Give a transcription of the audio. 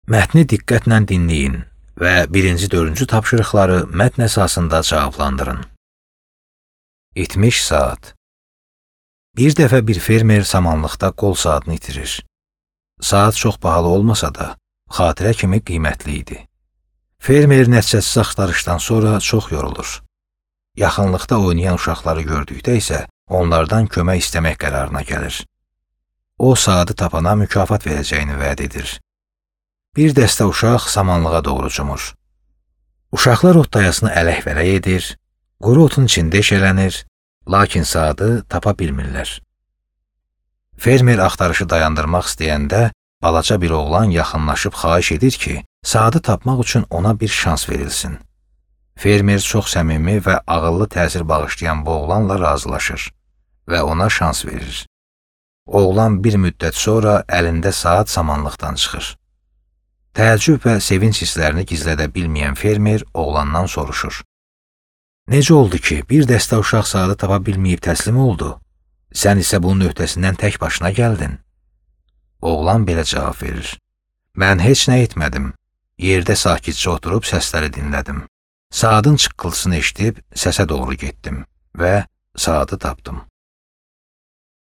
Mətni diqqətlə dinləyin və 1-4-cü tapşırıqları mətn əsasında cavablandırın. İtmiş saat. Bir dəfə bir fermer samanlıqda qol saatını itirir. Saat çox bahalı olmasa da, xatirə kimi qiymətli idi. Fermer nəticəsiz axtarışdan sonra çox yorulur. Yaxınlıqda oynayan uşaqları gördükdə isə onlardan kömək istəmək qərarına gəlir. O, saatı tapana mükafat verəcəyini vəd edir. Bir dəstə uşaq samanlığa doğru cumur. Uşaqlar otdayasını ələk-vələk edir, quru otun içində eşələnir, lakin saatı tapa bilmirlər. Fermer axtarışı dayandırmaq istəyəndə, balaca bir oğlan yaxınlaşıb xahiş edir ki, saatı tapmaq üçün ona bir şans verilsin. Fermer çox səmimi və ağıllı təsir bağışlayan bu oğlanla razılaşır və ona şans verir. Oğlan bir müddət sonra əlində saat samanlıqdan çıxır. Təəccüb və sevinç hisslərini gizlədə bilməyən fermer oğlandan soruşur. Necə oldu ki, bir dəstə uşaq saatı tapa bilməyib təslim oldu? Sən isə bunun öhdəsindən tək başına gəldin. Oğlan belə cavab verir. Mən heç nə etmədim. Yerdə sakitcə oturub səsləri dinlədim. Saatın çıqqıltısını eşidib səsə doğru getdim və saatı tapdım.